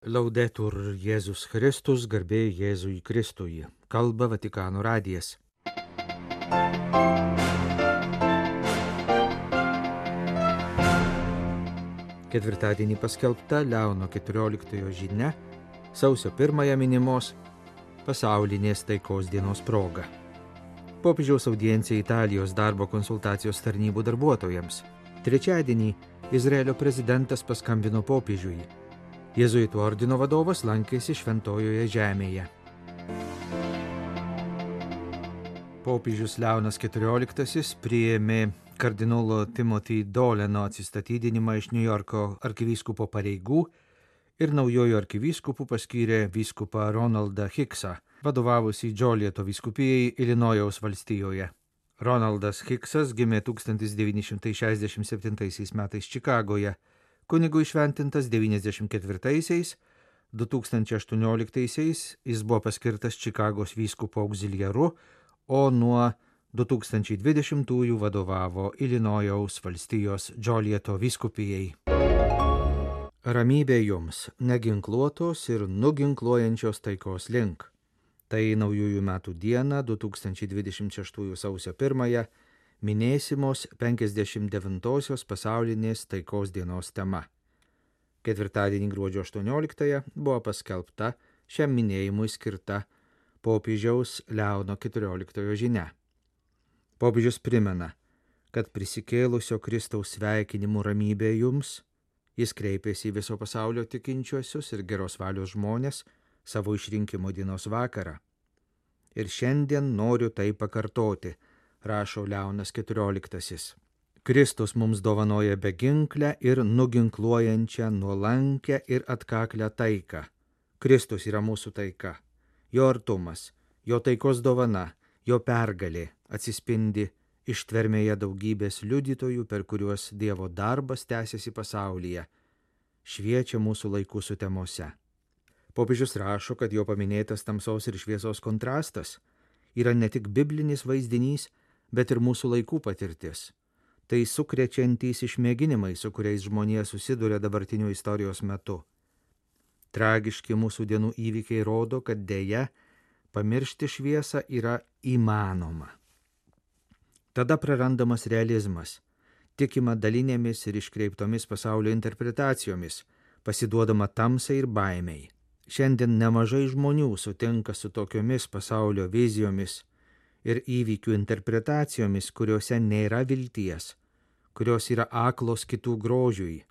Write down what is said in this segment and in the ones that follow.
Laudetur Jėzus Kristus, garbė Jėzui Kristui. Kalba Vatikano radijas. Ketvirtadienį paskelbta Leono 14 žinia, sausio 1 minimos pasaulinės taikos dienos proga. Popiežiaus audiencija Italijos darbo konsultacijos tarnybų darbuotojams. Trečiadienį Izraelio prezidentas paskambino popiežiui. Jėzuitų ordino vadovas lankėsi Šventojoje žemėje. Popiežius Leonas XIV priėmė kardinolo Timothy Doleno atsistatydinimą iš Niujorko arkivyskupo pareigų ir naujojo arkivyskupu paskyrė vyskupą Ronaldą Hicksą, vadovavusį Džolieto vyskupijai Ilinojaus valstijoje. Ronaldas Hicksas gimė 1967 metais Čikagoje, kunigui šventintas 94-aisiais, 2018-aisiais jis buvo paskirtas Čikagos vyskupo auxiliaru, o nuo 2020-ųjų vadovavo Ilinojaus valstijos Džolieto vyskupijai. Ramybė jums, neginkluotos ir nuginkluojančios taikos link. Tai naujųjų metų dieną, 2026 sausio 1, minėsimos 59-osios pasaulinės taikos dienos tema. Ketvirtadienį gruodžio 18 buvo paskelbta šiam minėjimui skirta popiežiaus Leono XIV žinia. Popiežius primena, kad prisikėlusio Kristaus sveikinimų ramybė jums, jis kreipėsi į viso pasaulio tikinčiuosius ir geros valios žmonės savo išrinkimo dienos vakarą. Ir šiandien noriu tai pakartoti, rašo Leonas XIV. Kristus mums dovanoja beginklę ir nuginkluojančią, nuolankę ir atkaklę taiką. Kristus yra mūsų taika. Jo artumas, jo taikos dovana, jo pergalė atsispindi ištvermėje daugybės liudytojų, per kuriuos Dievo darbas tęsiasi pasaulyje, šviečia mūsų laikų sutemose. Popiežius rašo, kad jo paminėtas tamsos ir šviesos kontrastas yra ne tik biblinis vaizdinys, bet ir mūsų laikų patirtis. Tai sukrečiantys išmėginimai, su kuriais žmonija susiduria dabartiniu istorijos metu. Tragiški mūsų dienų įvykiai rodo, kad deja pamiršti šviesą yra įmanoma. Tada prarandamas realizmas, tikima dalinėmis ir iškreiptomis pasaulio interpretacijomis, pasiduodama tamsai ir baimei. Šiandien nemažai žmonių sutinka su tokiomis pasaulio vizijomis ir įvykių interpretacijomis, kuriuose nėra vilties, kurios yra aklos kitų grožiui,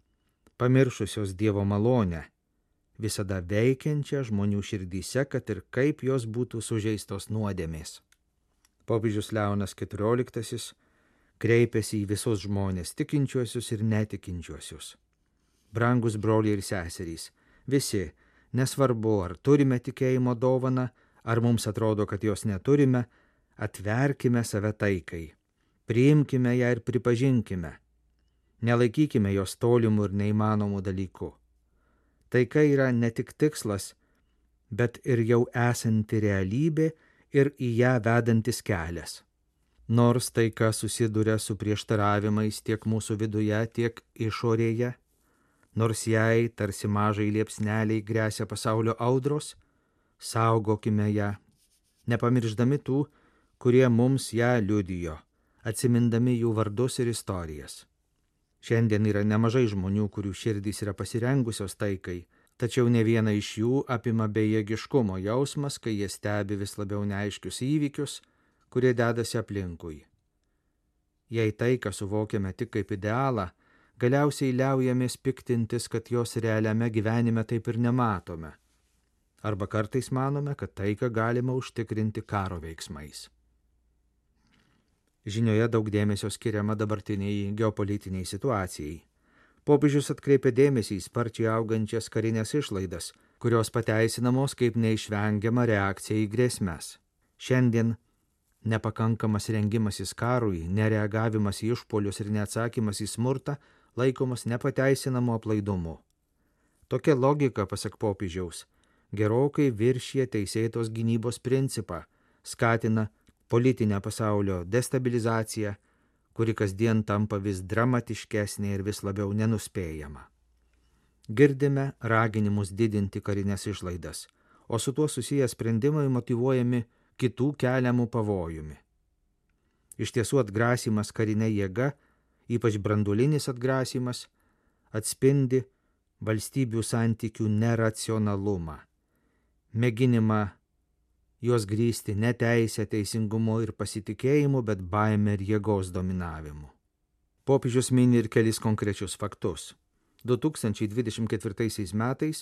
pamiršusios Dievo malonę, visada veikiančią žmonių širdyse, kad ir kaip jos būtų sužeistos nuodėmės. Popiežius Leonas XIV kreipėsi į visus žmonės, tikinčiuosius ir netikinčiuosius. Brangus broliai ir seserys, visi, nesvarbu, ar turime tikėjimo dovaną, ar mums atrodo, kad jos neturime, atverkime save taikai, priimkime ją ir pripažinkime, nelaikykime jos tolimų ir neįmanomų dalykų. Taika yra ne tik tikslas, bet ir jau esanti realybė ir į ją vedantis kelias. Nors taika susiduria su prieštaravimais tiek mūsų viduje, tiek išorėje, nors jai tarsi mažai liepsneliai gresia pasaulio audros, saugokime ją, nepamirždami tų, kurie mums ją liudijo, atsimindami jų vardus ir istorijas. Šiandien yra nemažai žmonių, kurių širdys yra pasirengusios taikai, tačiau ne vieną iš jų apima bejėgiškumo jausmas, kai jie stebi vis labiau neaiškius įvykius, kurie dedasi aplinkui. Jei taiką suvokiame tik kaip idealą, galiausiai liaujamės piktintis, kad jos realiame gyvenime taip ir nematome. Arba kartais manome, kad taiką galima užtikrinti karo veiksmais. Žinioje daug dėmesio skiriama dabartiniai geopolitiniai situacijai. Popiežius atkreipė dėmesį į sparčiai augančias karinės išlaidas, kurios pateisinamos kaip neišvengiama reakcija į grėsmes. Šiandien nepakankamas rengimasis karui, nereagavimas į išpuolius ir neatsakymas į smurtą laikomas nepateisinamu aplaidumu. Tokia logika, pasak popiežiaus, gerokai viršija teisėtos gynybos principą, skatina politinę pasaulio destabilizaciją, kuri kasdien tampa vis dramatiškesnė ir vis labiau nenuspėjama. Girdime raginimus didinti karinės išlaidas, o su tuo susiję sprendimai motyvuojami kitų keliamų pavojumi. Iš tiesų atgrasymas karinė jėga, ypač branduolinis atgrasymas, atspindi valstybių santykių neracionalumą, mėginimą juos grįsti ne teisę, teisingumu ir pasitikėjimu, bet baime ir jėgos dominavimu. Popiežius mini ir kelis konkrečius faktus. 2024 metais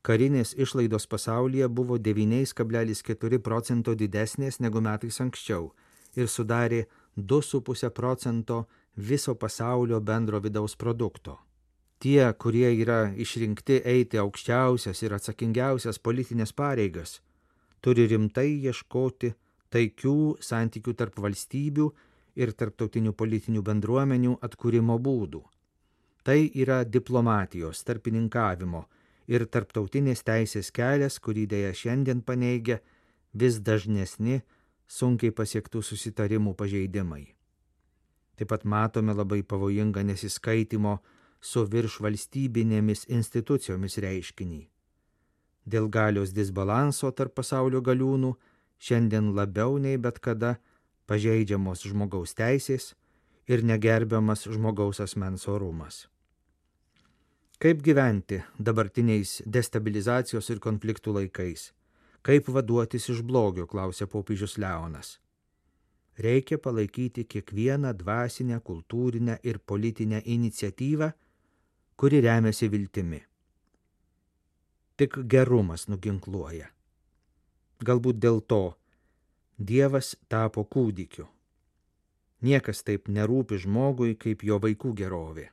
karinės išlaidos pasaulyje buvo 9,4 procento didesnės negu metais anksčiau ir sudarė 2,5 procento viso pasaulio bendro vidaus produkto. Tie, kurie yra išrinkti eiti aukščiausias ir atsakingiausias politinės pareigas, turi rimtai ieškoti taikių santykių tarp valstybių ir tarptautinių politinių bendruomenių atkūrimo būdų. Tai yra diplomatijos, tarpininkavimo ir tarptautinės teisės kelias, kurį dėja šiandien paneigia vis dažnesni sunkiai pasiektų susitarimų pažeidimai. Taip pat matome labai pavojingą nesiskaitimo su viršvalstybinėmis institucijomis reiškinį. Dėl galios disbalanso tarp pasaulio galiūnų šiandien labiau nei bet kada pažeidžiamos žmogaus teisės ir negerbiamas žmogaus asmens orumas. Kaip gyventi dabartiniais destabilizacijos ir konfliktų laikais? Kaip vaduotis iš blogio, klausė popiežius Leonas. Reikia palaikyti kiekvieną dvasinę, kultūrinę ir politinę iniciatyvą, kuri remiasi viltimi. Tik gerumas nuginkluoja. Galbūt dėl to Dievas tapo kūdikiu. Niekas taip nerūpi žmogui, kaip jo vaikų gerovė.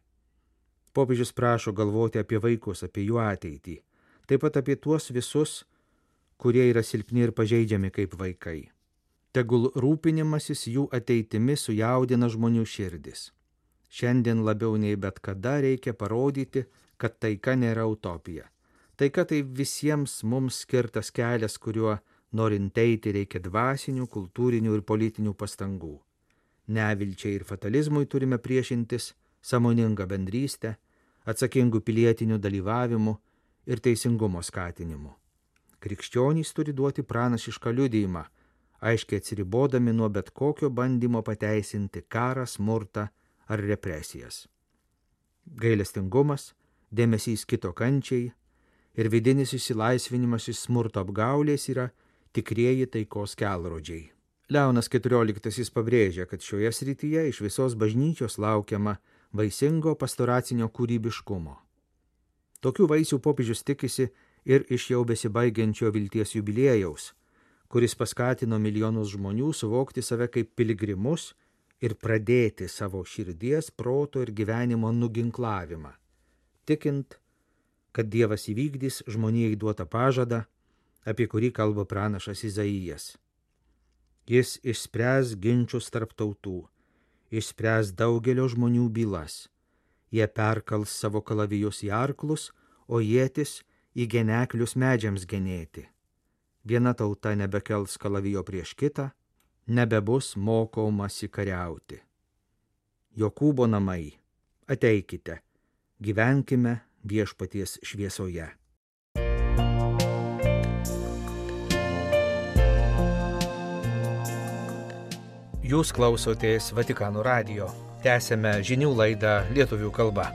Popiežius prašo galvoti apie vaikus, apie jų ateitį, taip pat apie tuos visus, kurie yra silpni ir pažeidžiami kaip vaikai. Tegul rūpinimasis jų ateitimi sujaudina žmonių širdis. Šiandien labiau nei bet kada reikia parodyti, kad taika nėra utopija. Taika tai visiems mums skirtas kelias, kuriuo norint eiti reikia dvasinių, kultūrinių ir politinių pastangų. Nevilčiai ir fatalizmui turime priešintis sąmoningą bendrystę, atsakingų pilietinių dalyvavimų ir teisingumo skatinimu. Krikščionys turi duoti pranašišką liudijimą, aiškiai atsiribodami nuo bet kokio bandymo pateisinti karą, smurtą ar represijas. Gailestingumas, dėmesys kito kančiai ir vidinis išsilaisvinimas iš smurto apgaulės yra tikrieji taikos kelrodžiai. Leonas XIV pabrėžia, kad šioje srityje iš visos bažnyčios laukiama vaisingo pastoracinio kūrybiškumo. Tokių vaisių popiežius tikisi ir iš jau besibaigiančio vilties jubiliejaus, kuris paskatino milijonus žmonių suvokti save kaip piligrimus ir pradėti savo širdies, proto ir gyvenimo nuginklavimą, tikint, kad Dievas įvykdys žmonijai duotą pažadą, apie kurį kalba pranašas Izaijas. Jis išspręs ginčus tarp tautų, išspręs daugelio žmonių bylas. Jie perkals savo kalavijus į arklus, o ietis į geneklius medžiams genėti. Viena tauta nebekels kalavijo prieš kitą, nebebus mokomasi kariauti. Jokūbo namai, ateikite, gyvenkime viešpaties šviesoje. Jūs klausotės Vatikano radijo. Tęsėme žinių laidą lietuvių kalba.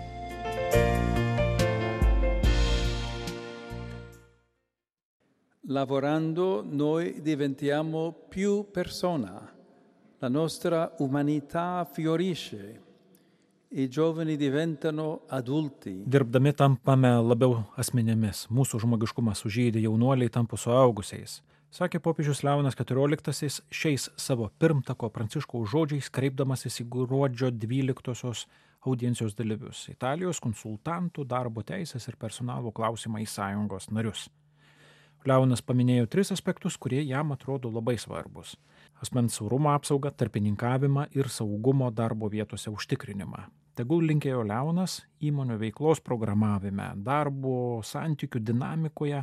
Lavorando noi diventiamo più persona, la nostra umanità fiorisce, i giovani diventano adulti. Dirbdami tampame labiau asmenėmis, mūsų žmogiškumas sužydi, jaunuoliai tampa suaugusiais, sakė popiežius Leonas XIV šiais savo pirmtako Pranciškaus žodžiais, kreipdamasis į gruodžio 12 audiencijos dalyvius, Italijos konsultantų, darbo teisės ir personalo klausimai sąjungos narius. Leonas paminėjo 3 aspektus, kurie jam atrodo labai svarbus: asmens orumo apsaugą, tarpininkavimą ir saugumo darbo vietose užtikrinimą. Tegul, linkėjo Leonas, įmonių veiklos programavime, darbo santykių dinamikoje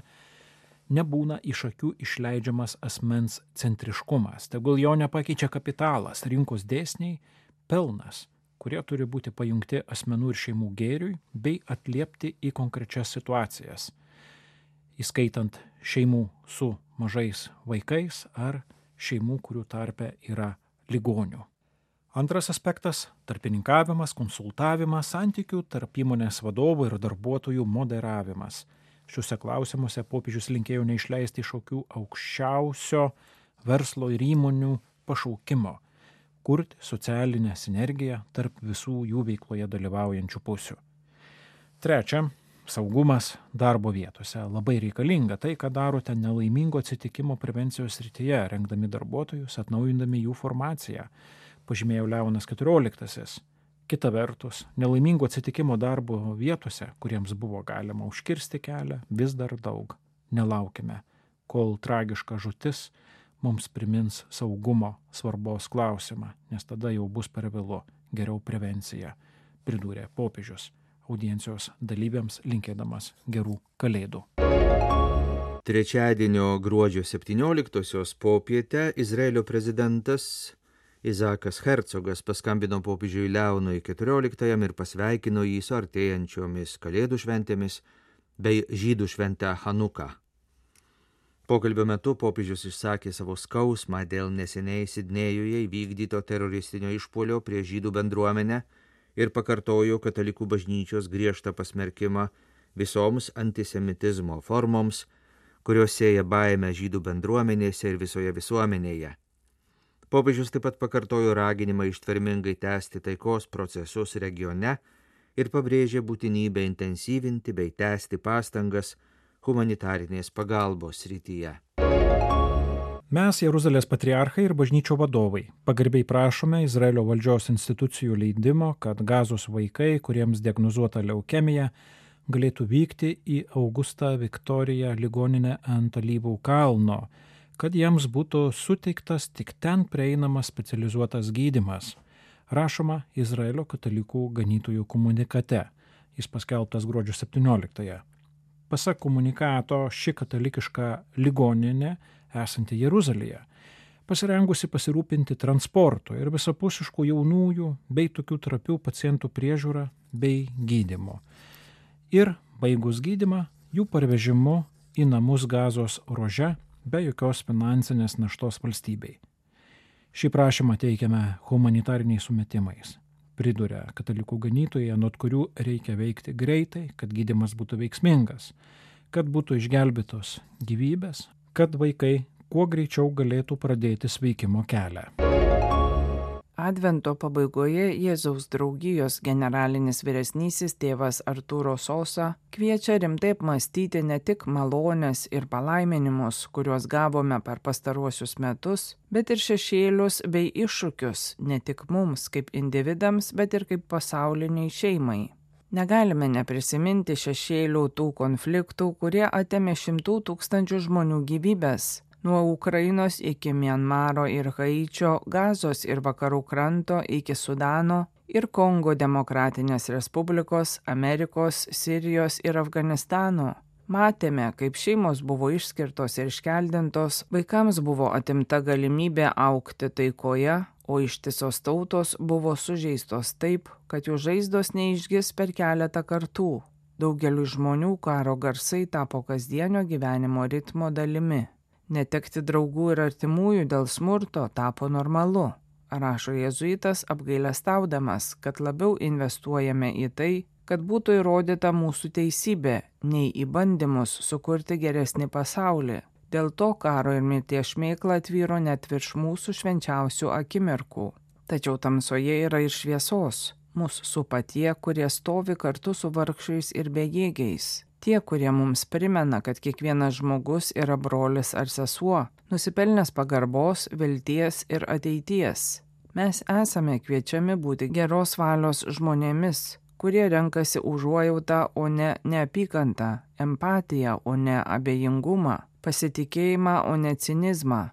nebūna iš akių išleidžiamas asmens centriškumas. Tegul jo nepakeičia kapitalas, rinkos dėsniai, pelnas, kurie turi būti pajungti asmenų ir šeimų gėriui bei atliepti į konkrečias situacijas, įskaitant šeimų su mažais vaikais ar šeimų, kurių tarpe yra ligonių. Antras aspektas – tarpininkavimas, konsultavimas, santykių tarp įmonės vadovų ir darbuotojų moderavimas. Šiuose klausimuose popiežius linkėjo neišleisti iš akių aukščiausio verslo ir įmonių pašaukimo – kurti socialinę sinergiją tarp visų jų veikloje dalyvaujančių pusių. Trečia – saugumas darbo vietose. Labai reikalinga tai, ką darote nelaimingo atsitikimo prevencijos srityje, rengdami darbuotojus, atnaujindami jų formaciją, pažymėjo Leonas XIV. Kita vertus, nelaimingo atsitikimo darbo vietose, kuriems buvo galima užkirsti kelią, vis dar daug. Nelaukime, kol tragiška žūtis mums primins saugumo svarbos klausimą, nes tada jau bus per vėlu, geriau prevencija, pridūrė popiežius, audiencijos dalyviams linkėdamas gerų kalėdų. Trečiadienio gruodžio 17-osios popietę Izraelio prezidentas Izakas Hercogas paskambino popiežiui Leonui XIV ir pasveikino jį su artėjančiomis kalėdų šventėmis bei žydų šventę Hanuką. Pokalbio metu popiežius išsakė savo skausmą dėl neseniai Sidnėjuje įvykdyto teroristinio išpuolio prieš žydų bendruomenę ir pakartojo katalikų bažnyčios griežtą pasmerkimą visoms antisemitizmo formoms, kurios sėja baimę žydų bendruomenėse ir visoje visuomenėje. Popiežius taip pat pakartojo raginimą ištvermingai tęsti taikos procesus regione ir pabrėžė būtinybę intensyvinti bei tęsti pastangas humanitarinės pagalbos srityje. Mes, Jeruzalės patriarchai ir bažnyčio vadovai, pagarbiai prašome Izraelio valdžios institucijų leidimo, kad Gazos vaikai, kuriems diagnozuota leukemija, galėtų vykti į Augustą Viktoriją ligoninę ant Alyvų kalno, kad jiems būtų suteiktas tik ten prieinamas specializuotas gydymas, rašoma Izraelio katalikų ganytojų komunikate. Jis paskelbtas gruodžio 17-ąją. Pasak komunikato, ši katalikiška ligoninė, esanti Jeruzalėje, pasirengusi pasirūpinti transportu ir visapusiškų jaunųjų bei tokių trapių pacientų priežiūrą bei gydymu. Ir baigus gydymą, jų parvežimu į namus Gazos ruože be jokios finansinės naštos valstybei. Šį prašymą teikiame humanitariniais sumetimais, priduria katalikų ganytojai, anot kurių reikia veikti greitai, kad gydymas būtų veiksmingas, kad būtų išgelbėtos gyvybės, kad vaikai kuo greičiau galėtų pradėti sveikimo kelią. Advento pabaigoje Jėzaus draugijos generalinis vyresnysis tėvas Artūro Sosa kviečia rimtai apmąstyti ne tik malones ir palaiminimus, kuriuos gavome per pastaruosius metus, bet ir šešėlius bei iššūkius ne tik mums kaip individams, bet ir kaip pasauliniai šeimai. Negalime neprisiminti šešėlių tų konfliktų, kurie atėmė 100 000 žmonių gyvybes. Nuo Ukrainos iki Mianmaro ir Haičio, Gazos ir vakarų kranto iki Sudano ir Kongo Demokratinės Respublikos, Amerikos, Sirijos ir Afganistano. Matėme, kaip šeimos buvo išskirtos ir iškeldintos, vaikams buvo atimta galimybė augti taikoje, o ištisos tautos buvo sužeistos taip, kad jų žaizdos neišgis per keletą kartų. Daugeliu žmonių karo garsai tapo kasdienio gyvenimo ritmo dalimi. Netekti draugų ir artimųjų dėl smurto tapo normalu, rašo jėzuitas apgailestaudamas, kad labiau investuojame į tai, kad būtų įrodyta mūsų teisybė, nei į bandymus sukurti geresnį pasaulį. Dėl to karo ir mirties šmėkla tvyro net virš mūsų švenčiausių akimirkų. Tačiau tamsoje yra ir šviesos. Mus supa tie, kurie stovi kartu su vargšais ir bejėgiais. Tie, kurie mums primena, kad kiekvienas žmogus yra brolis ar sesuo, nusipelnęs pagarbos, vilties ir ateities. Mes esame kviečiami būti geros valios žmonėmis, kurie renkasi užuojautą, o ne neapykantą, empatiją, o ne abejingumą, pasitikėjimą, o ne cinizmą.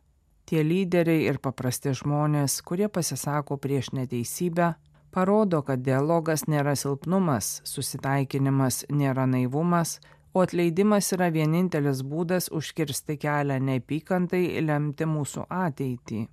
Tie lyderiai ir paprasti žmonės, kurie pasisako prieš neteisybę, parodo, kad dialogas nėra silpnumas, susitaikinimas nėra naivumas, o atleidimas yra vienintelis būdas užkirsti kelią neapykantai lemti mūsų ateitį.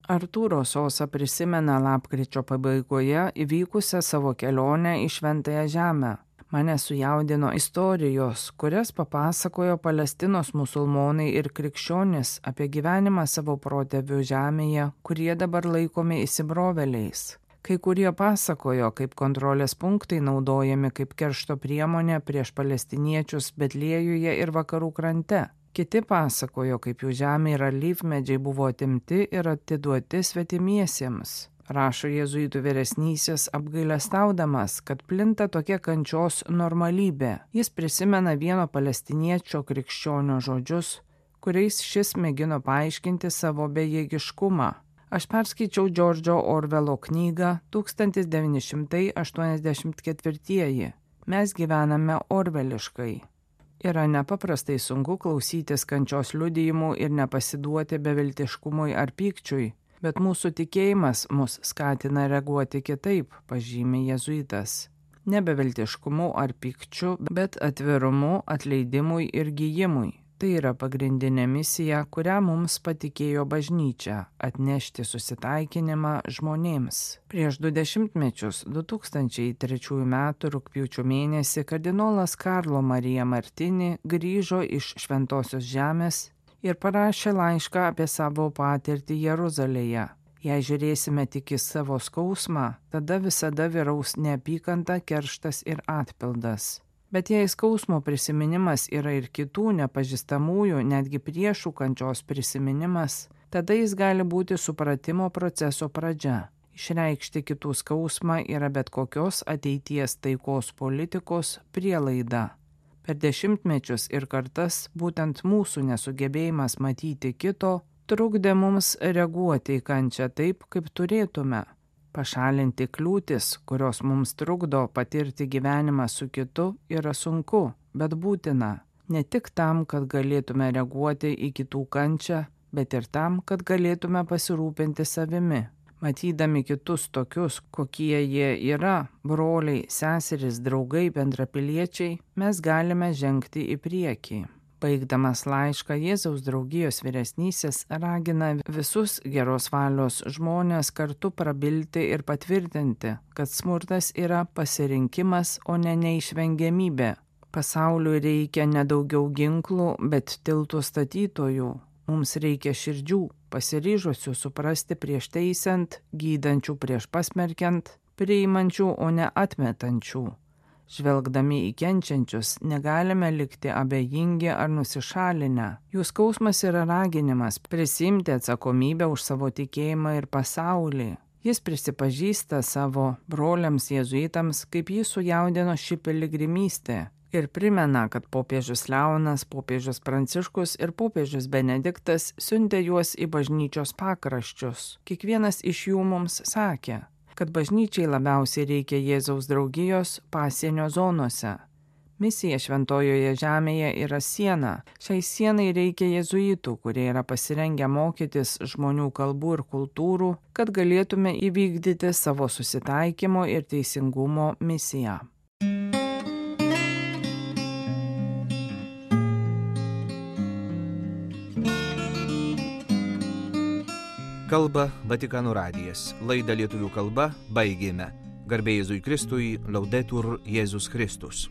Artūro Sosa prisimena lapkričio pabaigoje įvykusią savo kelionę į Šventąją Žemę. Mane sujaudino istorijos, kurias papasakojo Palestinos musulmonai ir krikščionys apie gyvenimą savo protėvių žemėje, kurie dabar laikomi įsibrovėliais. Kai kurie pasakojo, kaip kontrolės punktai naudojami kaip keršto priemonė prieš palestiniečius Betliejuje ir vakarų krante. Kiti pasakojo, kaip jų žemė ir alyvmedžiai buvo atimti ir atiduoti svetimiesiems. Rašo jėzuitų vyresnysis apgailestaudamas, kad plinta tokia kančios normalybė. Jis prisimena vieno palestiniečio krikščionio žodžius, kuriais šis mėgino paaiškinti savo bejėgiškumą. Aš perskaičiau Džordžo Orvelo knygą 1984. Mes gyvename orveliškai. Yra nepaprastai sunku klausytis kančios liudijimų ir nepasiduoti beviltiškumui ar pykčiui, bet mūsų tikėjimas mus skatina reaguoti kitaip, pažymė jėzuitas. Ne beviltiškumu ar pykčiu, bet atvirumu, atleidimui ir gijimui. Tai yra pagrindinė misija, kurią mums patikėjo bažnyčia – atnešti susitaikinimą žmonėms. Prieš 20 metus, 2003 m. rugpjūčio mėnesį, kardinolas Karlo Marija Martini grįžo iš Šventosios Žemės ir parašė laišką apie savo patirtį Jeruzalėje. Jei žiūrėsime tik į savo skausmą, tada visada vyraus neapykanta, kerštas ir atpildas. Bet jei skausmo prisiminimas yra ir kitų nepažįstamųjų, netgi priešų kančios prisiminimas, tada jis gali būti supratimo proceso pradžia. Išreikšti kitų skausmą yra bet kokios ateities taikos politikos prielaida. Per dešimtmečius ir kartas būtent mūsų nesugebėjimas matyti kito trukdė mums reaguoti į kančią taip, kaip turėtume. Pašalinti kliūtis, kurios mums trukdo patirti gyvenimą su kitu, yra sunku, bet būtina. Ne tik tam, kad galėtume reaguoti į kitų kančią, bet ir tam, kad galėtume pasirūpinti savimi. Matydami kitus tokius, kokie jie yra, broliai, seserys, draugai, bendrapiliečiai, mes galime žengti į priekį. Baigdamas laišką, Jėzaus draugijos vyresnysis ragina visus geros valios žmonės kartu prabilti ir patvirtinti, kad smurtas yra pasirinkimas, o ne neišvengiamybė. Pasauliui reikia ne daugiau ginklų, bet tiltų statytojų. Mums reikia širdžių, pasiryžusių suprasti prieš teisiant, gydančių prieš pasmerkiant, priimančių, o ne atmetančių. Žvelgdami į kenčiančius, negalime likti abejingi ar nusišalinę. Jų skausmas yra raginimas prisiimti atsakomybę už savo tikėjimą ir pasaulį. Jis prisipažįsta savo broliams jėzuitams, kaip jį sujaudino ši piligrimystė. Ir primena, kad popiežius Leonas, popiežius Pranciškus ir popiežius Benediktas siuntė juos į bažnyčios pakraščius. Kiekvienas iš jų mums sakė, kad bažnyčiai labiausiai reikia Jėzaus draugijos pasienio zonose. Misija Šventojoje Žemėje yra siena. Šiai sienai reikia jėzuitų, kurie yra pasirengę mokytis žmonių kalbų ir kultūrų, kad galėtume įvykdyti savo susitaikymo ir teisingumo misiją. Kalba Vatikano radijas. Laidą lietuvių kalba baigėme. Garbė Jėzui Kristui, Laudetur Jėzus Kristus.